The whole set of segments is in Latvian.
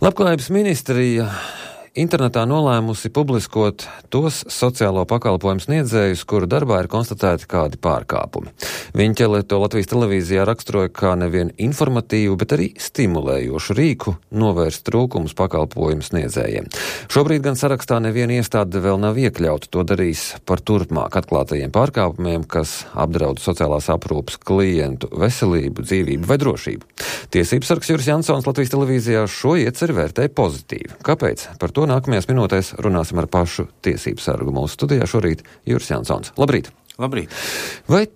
Labklājības ministrija internetā nolēmusi publiskot tos sociālo pakalpojumu sniedzējus, kuru darbā ir konstatēti kādi pārkāpumi. Viņķele to Latvijas televīzijā raksturoja kā nevien informatīvu, bet arī stimulējošu rīku novērst trūkumus pakalpojumu sniedzējiem. Šobrīd gan sarakstā neviena iestāde vēl nav iekļauta. To darīs par turpmāk atklātajiem pārkāpumiem, kas apdraud sociālās aprūpes klientu veselību, dzīvību vai drošību. Tiesības sargs Juris Jansons Latvijas televīzijā šo ieceri vērtēja pozitīvi. Kāpēc? Par to nākamajās minūtēs runāsim ar pašu tiesību sargu. Mūsu studijā šorīt Juris Jansons. Labrīt! Labrīt! Vai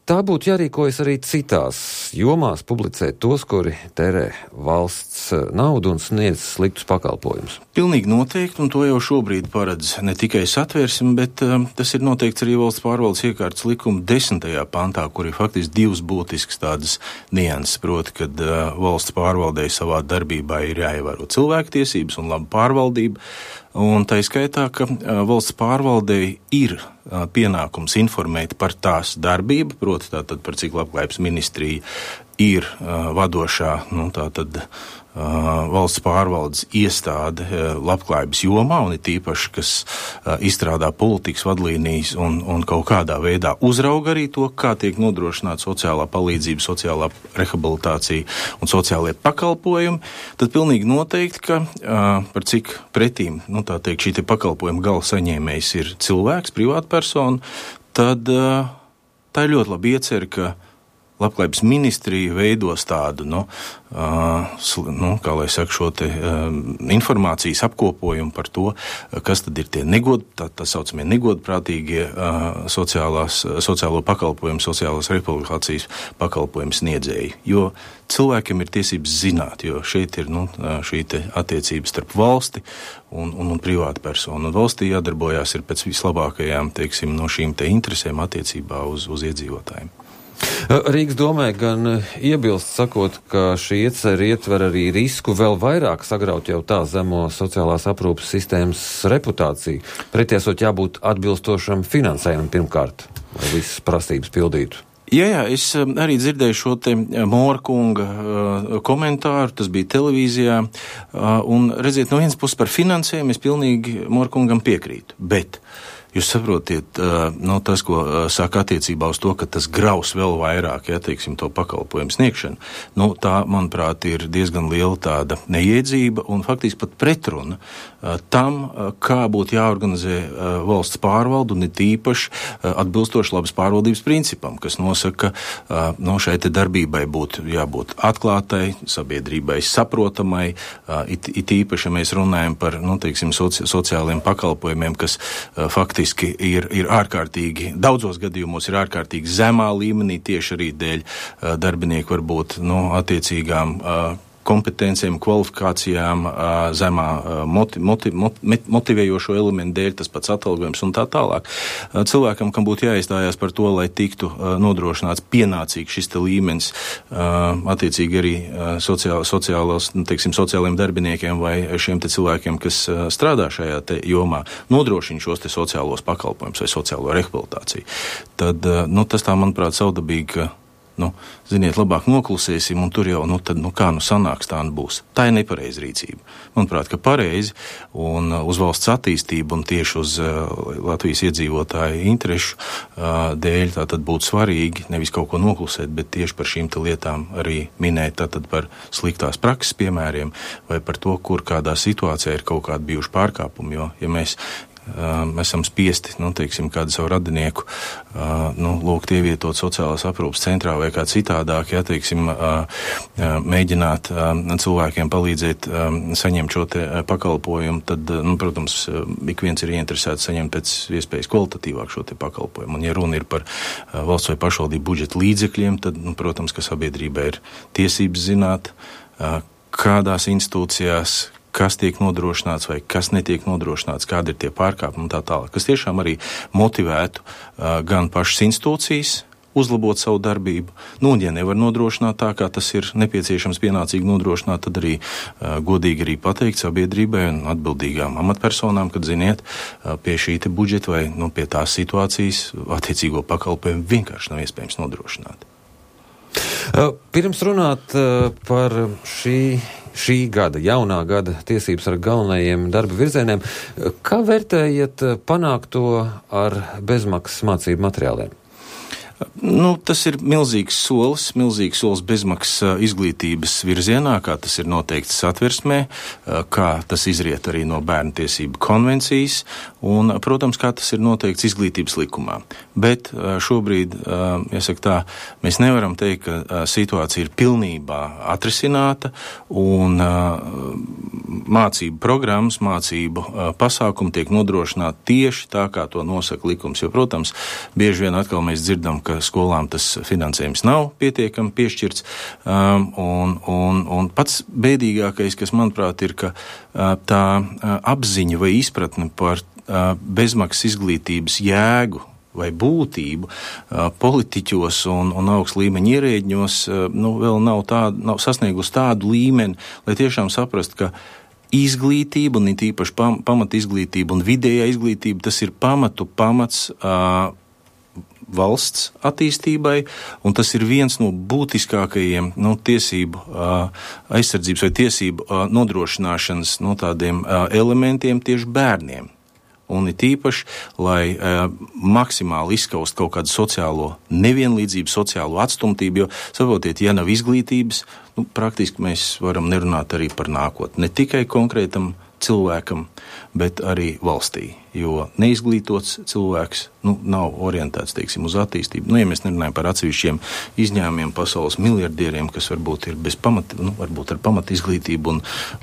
tā būtu jārīkojas arī citās jomās publicēt tos, kuri tērē valsts naudu un sniedz sliktus pakalpojumus? Pilnīgi noteikti, un to jau šobrīd paredz ne tikai Satversme, bet tas ir noteikts arī valsts pārvaldes iekārtas likuma 10. pantā, kur ir faktiski divas būtiskas tādas nianses, proti, kad valsts pārvaldei savā darbībā ir jāievēro cilvēktiesības un laba pārvaldība, un tā skaitā, ka valsts pārvaldei ir pienākums informēt par tās darbību, proti tātad par cik labklājības ministrija ir vadošā, valsts pārvaldes iestāde labklājības jomā, un ir tīpaši, kas izstrādā politikas vadlīnijas un kaut kādā veidā uzrauga arī to, kā tiek nodrošināta sociālā palīdzība, sociālā rehabilitācija un sociālie pakalpojumi, tad pilnīgi noteikti, ka par cik pretīm, šī te pakalpojuma gala saņēmējs ir cilvēks, privātpersona, tad tā ir ļoti labi iecer, ka Labklājības ministrija veidos tādu, šo te informācijas apkopojumu par to, kas tad ir tie tā saucamie negodprātīgie sociālo pakalpojumu, sociālās rehabilitācijas pakalpojumu sniedzēji. Jo cilvēkiem ir tiesības zināt, jo šeit ir šī te attiecības starp valsti un privātu personu. Un valstī jādarbojās ir pēc vislabākajām, šīm te interesēm attiecībā uz iedzīvotājiem. Rīgas domē gan iebilst sakot, ka šī ieceri ietver arī risku vēl vairāk sagraut jau tā zemo sociālās aprūpes sistēmas reputāciju. Pretiesot jābūt atbilstošam finansējumam pirmkārt, lai visas prasības pildītu. Jā, es arī dzirdēju šo te Mora kunga komentāru, tas bija televīzijā, un redziet, no vienas puses par finansējumu es pilnīgi Mora kungam piekrītu, bet jūs saprotiet, tas, ko saka attiecībā uz to, ka tas graus vēl vairāk, to pakalpojumu sniegšanu, tā, manuprāt, ir diezgan liela tāda neiedzība un faktiski pat pretruna tam, kā būtu jāorganizē valsts pārvaldu un it īpaši atbilstoši labas pārvaldības principam, kas nosaka, ka šai te darbībai būtu jābūt atklātai, sabiedrībai saprotamai, it īpaši, ja mēs runājam par, sociāliem pakalpojumiem, kas faktiski ir ārkārtīgi, daudzos gadījumos ir ārkārtīgi zemā līmenī, tieši arī dēļ darbinieku varbūt, attiecīgām kompetencijām, kvalifikācijām, zemā motivējošo elementu dēļ, tas pats atalgojums un tā tālāk. Cilvēkam, kam būtu jāiestājās par to, lai tiktu nodrošināts pienācīgs šis te līmenis, attiecīgi arī sociāliem darbiniekiem vai šiem te cilvēkiem, kas strādā šajā te jomā, nodrošina šos te sociālos pakalpojumus vai sociālo rehabilitāciju. Tad, tas tā, manuprāt, savdabīgi, ka ziniet, labāk noklusēsim, un tur jau, sanāks, tā būs. Tā ir nepareiza rīcība. Manuprāt, ka pareizi, un uz valsts attīstību, un tieši uz Latvijas iedzīvotāju interešu dēļ, tātad būtu svarīgi nevis kaut ko noklusēt, bet tieši par šīm te lietām arī minēt, tātad par sliktās prakses piemēriem, vai par to, kur kādā situācijā ir kaut kādi bijuši pārkāpumi, jo, ja mēs esam spiesti, kādu savu radinieku, lūgt ievietot sociālās aprūpes centrā vai kā citādāk, mēģināt cilvēkiem palīdzēt saņemt šo te pakalpojumu, tad, protams, ik viens ir ieinteresēts saņemt pēc iespējas kvalitatīvāk šo te pakalpojumu. Un, ja runa ir par valsts vai pašvaldību budžeta līdzekļiem, tad, protams, ka sabiedrībai ir tiesības zināt, kādās institūcijās, kas tiek nodrošināts vai kas netiek nodrošināts, kādi ir tie pārkāpumi un tā tālāk, kas tiešām arī motivētu gan pašas institūcijas uzlabot savu darbību. Un, ja nevar nodrošināt tā, kā tas ir nepieciešams pienācīgi nodrošināt, tad arī godīgi arī pateikt sabiedrībai un atbildīgām amatpersonām, kad, ziniet, pie šī te budžeta vai pie tās situācijas attiecīgo pakalpojumu vienkārši nav iespējams nodrošināt. Pirms runāt par šī gada, jaunā gada tiesības ar galvenajiem darba virzieniem, kā vērtējat panākto ar bezmaksas mācību materiāliem? Tas ir milzīgs solis bezmaksas izglītības virzienā, kā tas ir noteikts Satversmē, kā tas izriet arī no Bērnu tiesību konvencijas un, protams, kā tas ir noteikts izglītības likumā. Bet šobrīd, jāsaka tā, mēs nevaram teikt, ka situācija ir pilnībā atrisināta un mācību programmas, mācību pasākumi tiek nodrošināti tieši tā, kā to nosaka likums. Jo, protams, bieži vien atkal mēs dzirdam, ka skolām tas finansējums nav pietiekami piešķirts, un pats bēdīgākais, kas, manuprāt, ir, ka tā apziņa vai izpratne par bezmaksas izglītības jēgu vai būtību politiķos un augst līmeņa ierēģņos vēl nav sasniegusi tādu līmeni, lai tiešām saprast, ka izglītība, un it īpaši pamata izglītība un vidējā izglītība, tas ir pamats valsts attīstībai, un tas ir viens no būtiskākajiem tiesību aizsardzības vai tiesību nodrošināšanas tādiem elementiem tieši bērniem. Un it īpaši, lai maksimāli izskaust kaut kādu sociālo nevienlīdzību, sociālo atstumtību, jo, saprotiet, ja nav izglītības, praktiski mēs varam nerunāt arī par nākotni. Ne tikai konkrētam cilvēkam, bet arī valstī, jo neizglītots cilvēks nav orientēts, teiksim, uz attīstību. Ja mēs nerunājam par atsevišķiem izņēmumiem pasaules miljardieriem, kas varbūt ir bez pamata, varbūt ar pamata izglītību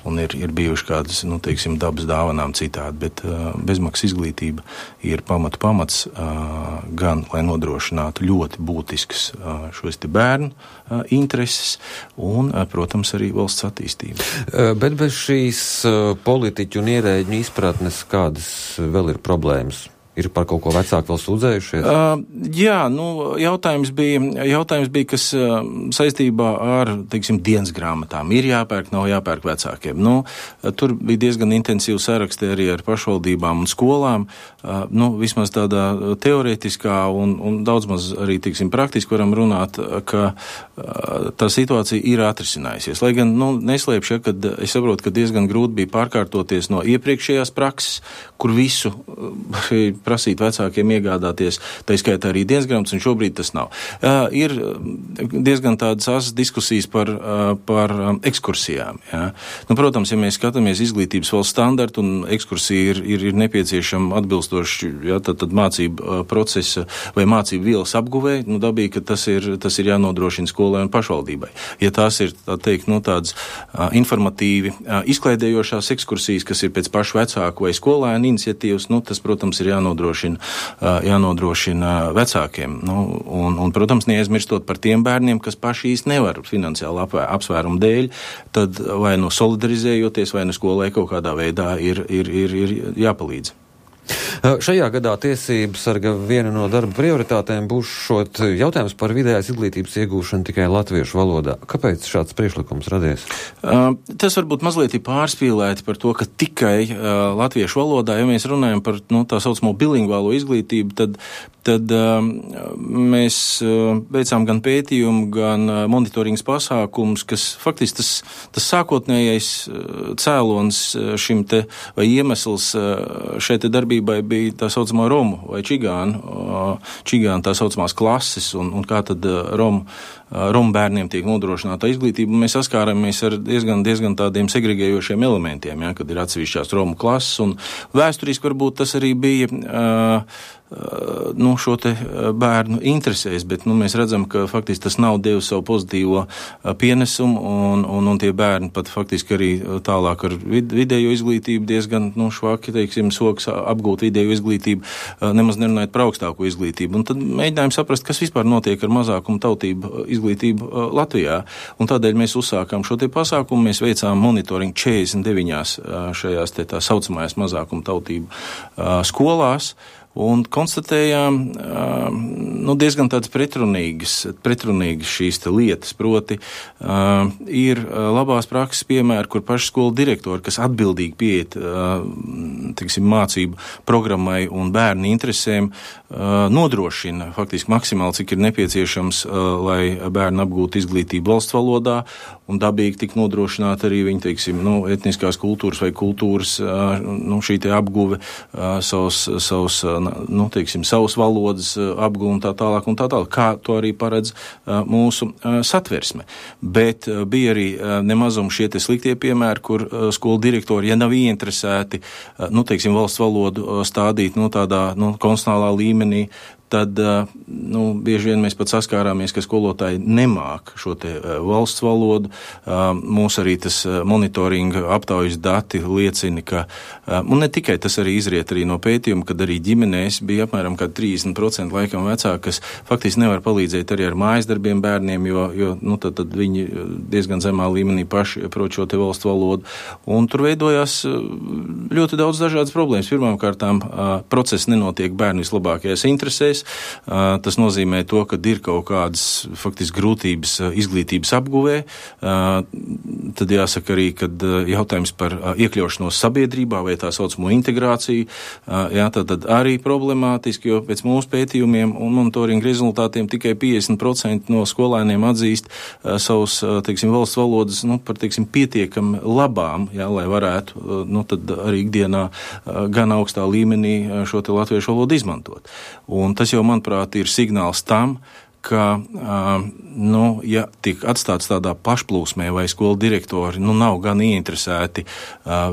un ir bijuši kādas, teiksim, dabas dāvanām citādi, bet bezmaksas izglītība ir pamats gan, lai nodrošinātu ļoti būtiskas šos te bērnu intereses un, protams, arī valsts attīstību. Bet bez šīs politiķu un ierēģņu izpratnes, kādas vēl ir problēmas? Ir par kaut ko vecāki vēl sūdzējušies? Jā, jautājums bija, kas saistībā ar, teiksim, dienas grāmatām ir jāpērk, nav jāpērk vecākiem. Tur bija diezgan intensīvi saraksti arī ar pašvaldībām un skolām. Vismaz tādā teorētiskā un daudz maz arī, teiksim, praktiski varam runāt, ka tā situācija ir atrisinājusies. Lai gan, neslēpšu, kad es saprotu, ka diezgan grūti bija pārkārtoties no iepriekšējās prakses, kur visu prasīt vecākiem iegādāties, tā skaitā arī dienas grāmatas, un šobrīd tas nav. Ir diezgan tādas asas diskusijas par ekskursijām. Ja. Protams, ja mēs skatāmies izglītības valsts standartu un ekskursija ir nepieciešama atbilstoši, tad mācību procesa vai mācību vielas apguvē, dabīgi, ka tas ir jānodrošina skolai un pašvaldībai. Ja tās ir, tā teikt, tādas informatīvi izklaidējošās ekskursijas, kas ir pēc pašu vecāku vai skolēnu iniciatīvas, tas, protams, ir jānodrošina vecākiem. Un, protams, neaizmirstot par tiem bērniem, kas paši īsti nevar finansiāli apsvērumu dēļ, tad vai solidarizējoties, vai skolai kaut kādā veidā ir jāpalīdz. Šajā gadā tiesību sarga viena no darba prioritātēm būs šot jautājums par vidējās izglītības iegūšanu tikai latviešu valodā. Kāpēc šāds priekšlikums radies? Tas varbūt mazliet ir pārspīlēti par to, ka tikai latviešu valodā, ja mēs runājam par tā saucamo bilingvālo izglītību, tad mēs veicām gan pētījumu, gan monitoringas pasākums, kas faktiski tas sākotnējais cēlons šim te vai iemesls šai te darbībai bija tā saucamā romu vai čigānu tā saucamās klases un kā tad romu bērniem tiek nodrošināta izglītība. Mēs saskāramies ar diezgan tādiem segregējošiem elementiem, kad ir atsevišķās romu klases, un vēsturiski varbūt tas arī bija šo te bērnu interesēs, bet mēs redzam, ka faktiski tas nav devis savu pozitīvo pienesumu, un tie bērni pat faktiski arī tālāk ar vidējo izglītību diezgan švaki, teiksim, soks apgūt vidējo izglītību, nemaz nerunājot par augstāko izglītību. Un tad mēģinājām saprast, kas vispār notiek ar mazākumu tautību izglītību Latvijā. Un tādēļ mēs uzsākām šo te pasākumu, mēs veicām monitoringu 49 šajās te tā saucamajās mazākumu tautību skolās. un konstatējām diezgan tādas pretrunīgas šīs te lietas, proti ir labās prakses piemēri, kur paši skolu direktori, kas atbildīgi pieiet, mācību programmai un bērnu interesēm, nodrošina faktiski maksimāli, cik ir nepieciešams, lai bērni apgūtu izglītību valsts valodā, un dabīgi tik nodrošināt arī viņa, etniskās kultūras vai kultūras, šī te apguve, savas valodas apguve un tā tālāk, kā to arī paredz mūsu satversme. Bet bija arī nemazum šie te sliktie piemēri, kur skolu direktori, ja nav ieinteresēti, valsts valodu stādīt, tādā, konstitucionālā līmenī, tad, bieži vien mēs pat saskārāmies, ka skolotāji nemāk šo te valsts valodu. Mūs arī tas monitoringa aptaujas dati liecina, ka, un ne tikai tas arī izriet arī no pētījuma, kad arī ģimenēs bija apmēram 30% laikam vecāki, kas faktiski nevar palīdzēt arī ar mājas darbiem bērniem, jo tad viņi diezgan zemā līmenī paši prot šo te valsts valodu. Un tur veidojās ļoti daudz dažādas problēmas. Pirmām kārtām process nenotiek bērnu vislabākajās interesēs. Tas nozīmē to, ka ir kaut kādas faktiski grūtības izglītības apguvē. Tad jāsaka arī, kad jautājums par iekļaušanos sabiedrībā vai tā saucamo integrāciju, tad arī problemātiski, jo pēc mūsu pētījumiem un monitoringa rezultātiem tikai 50% no skolēniem atzīst savus, valsts valodas, par, pietiekami labām, lai varētu, tad arī ikdienā gan augstā līmenī šo te latviešu valodu izmantot. Un tas jau, manuprāt, ir signāls tam, ka, ja tiek atstāts tādā pašplūsmē vai skolu direktori, nav gan ieinteresēti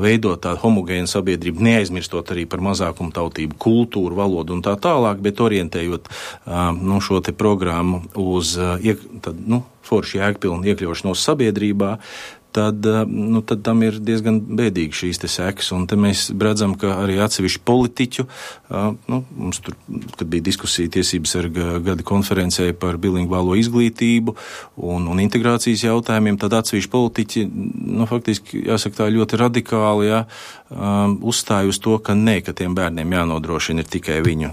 veidot tādu homogēnu sabiedrību, neaizmirstot arī par mazākumu tautību, kultūru, valodu un tā tālāk, bet orientējot šo te programmu uz forši jēgpilnu iekļaušanos sabiedrībā, tad tam ir diezgan bēdīgi šīs te sekas. Un te mēs redzam, ka arī atsevišķi politiķu, mums tur, kad bija diskusija tiesības ar gada konferencē par bilingvālo izglītību un integrācijas jautājumiem, tad atsevišķi politiķi, faktiski, jāsaka tā ļoti radikāli, uzstāja uz to, ka ka tiem bērniem jānodrošina ir tikai viņu,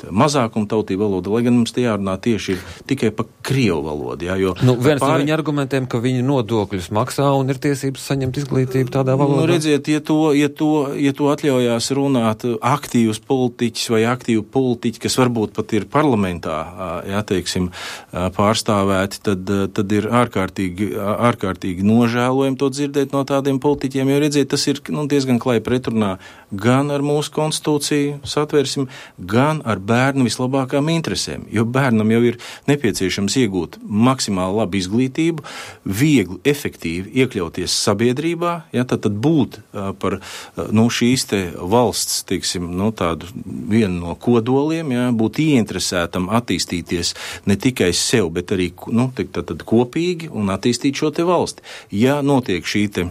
mazākuma tautība valoda, lai gan mums te jārunā tieši tikai par krievu valodu, jo... Viens no viņa argumentiem, ka viņi nodokļus maksā un ir tiesības saņemt izglītību tādā valodā. Redziet, ja to atļaujās runāt aktīvs politiķis vai aktīvi politiķi, kas varbūt pat ir parlamentā, pārstāvēti, tad ir ārkārtīgi nožēlojami to dzirdēt no tādiem politiķiem, jo redziet, tas ir diezgan klāji pretrunā gan ar mūsu konstitūciju satversim, gan ar bērnu vislabākām interesēm, jo bērnam jau ir nepieciešams iegūt maksimāli labu izglītību, viegli, efektīvi iekļauties sabiedrībā, tad būt par šīs te valsts, tādu vienu no kodoliem, būt ieinteresētam attīstīties ne tikai sev, bet arī tad kopīgi un attīstīt šo te valsti. Ja notiek šī te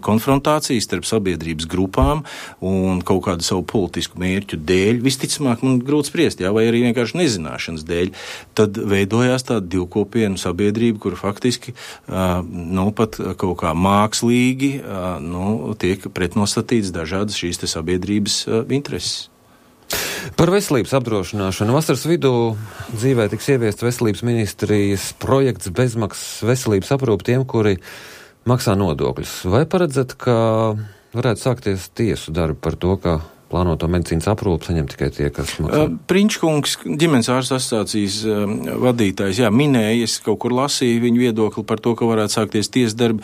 konfrontācija starp sabiedrības grupām un kaut kādu savu politisku mērķu dēļ, visticamāk man grūti spriest, vai arī vienkārši nezināšanas dēļ, tad veidojās tāda divkopienu sabiedrība, kur faktiski pat kaut kā mākslīgi tiek pretnostatīts dažādas šīs te sabiedrības intereses. Par veselības apdrošināšanu. Vasaras vidū dzīvē tiks ieviests veselības ministrijas projekts bezmaksas veselības aprūpe tiem, kuri maksā nodokļus. Vai paredzat, ka varētu sākties tiesu darbi par to, ka plānoto medicīnas aprūpi saņem tikai tie, kas maksā? Prinčkungs, ģimenes ārstu asociācijas vadītājs, minēja, es kaut kur lasīju viņu viedokli par to, ka varētu sākties tiesas darbi.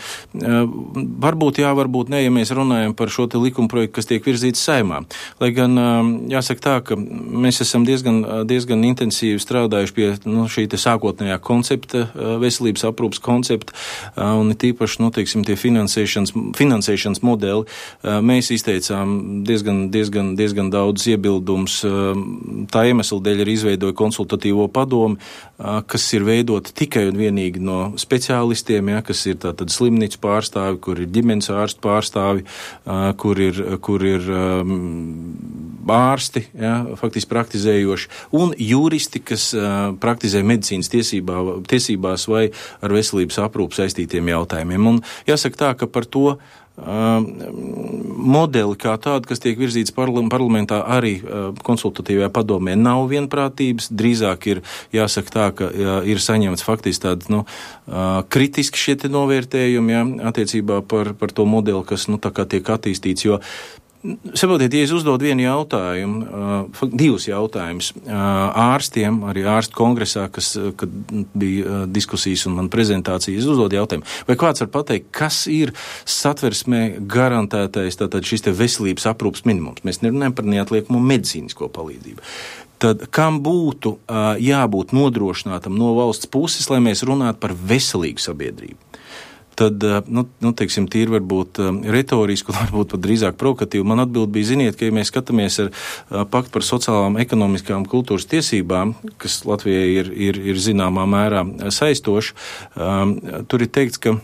Varbūt varbūt ne, ja mēs runājam par šo te likumprojektu, kas tiek virzīts Saeimā. Lai gan jāsaka tā, ka mēs esam diezgan intensīvi strādājuši pie šī te sākotnējā koncepta, veselības aprūpas koncepta, un tīpaši, tie finansēšanas modeli. Mēs izteicām diezgan daudz iebildums. Tā iemesla dēļ ir izveidoja konsultatīvo padomi, kas ir veidota tikai un vienīgi no speciālistiem, kas ir tātad slimnīcu pārstāvi, kur ir ģimenes ārstu pārstāvi, kur ir ārsti, faktiski praktizējoši, un juristi, kas praktizē medicīnas tiesībās vai ar veselības aprūpu saistītiem jautājumiem. Un jāsaka tā, ka par to modeli kā tādu, kas tiek virzīts parlamentā, arī konsultatīvajā padomē nav vienprātības. Drīzāk ir jāsaka tā, ka ir saņemts faktiski tādi kritiski šie te novērtējumi attiecībā par to modeli, kas tā kā tiek attīstīts, jo saprotiet, ja es uzdodu vienu jautājumu, divus jautājumus ārstiem, arī ārstu kongresā, kad bija diskusijas un man prezentācijas, es uzdodu jautājumu, vai kāds var pateikt, kas ir satversmē garantētais tātad šis te veselības aprūpas minimums? Mēs nerunājam par neatliekamo medicīnisko palīdzību. Tad kam būtu jābūt nodrošinātam no valsts puses, lai mēs runātu par veselīgu sabiedrību? Tad, teiksim, tīri varbūt retoriski, varbūt pat drīzāk provokatīvi. Man atbild bija, ziniet, ka ja mēs skatāmies ar paktu par sociālām, ekonomiskām, kultūras tiesībām, kas Latvijai ir zināmā mērā saistoši, tur ir teikts, ka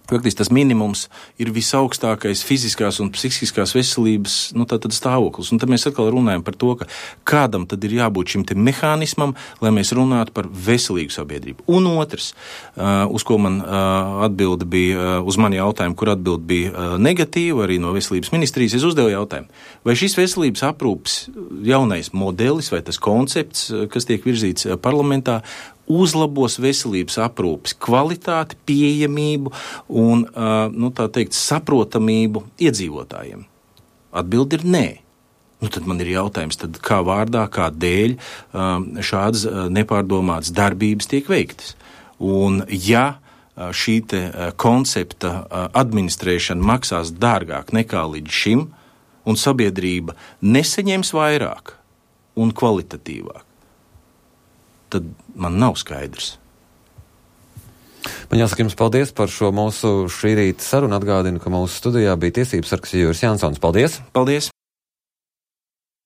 faktiski tas minimums ir visaugstākais fiziskās un psihiskās veselības, tātad stāvoklis. Un tad mēs atkal runājam par to, ka kādam tad ir jābūt šim te mehānismam, lai mēs runātu par veselīgu sabiedrību. Un otrs, uz ko man atbilde bija, uz mani jautājumu, kur atbilde bija negatīva, arī no veselības ministrijas, es uzdevu jautājumu, vai šis veselības aprūpes jaunais modelis vai tas koncepts, kas tiek virzīts parlamentā, uzlabos veselības aprūpes kvalitāti, pieejamību un, tā teikt, saprotamību iedzīvotājiem? Atbildi ir nē. Tad man ir jautājums, tad kā vārdā, kā dēļ šādas nepārdomātas darbības tiek veiktas? Un ja šī te koncepta administrēšana maksās dārgāk nekā līdz šim, un sabiedrība nesaņems vairāk un kvalitatīvāk, tad man nav skaidrs. Man jāsaka jums paldies par šo mūsu šī rīta sarunu. Atgādinu, ka mūsu studijā bija tiesības sargs Juris Jansons. Paldies! Paldies!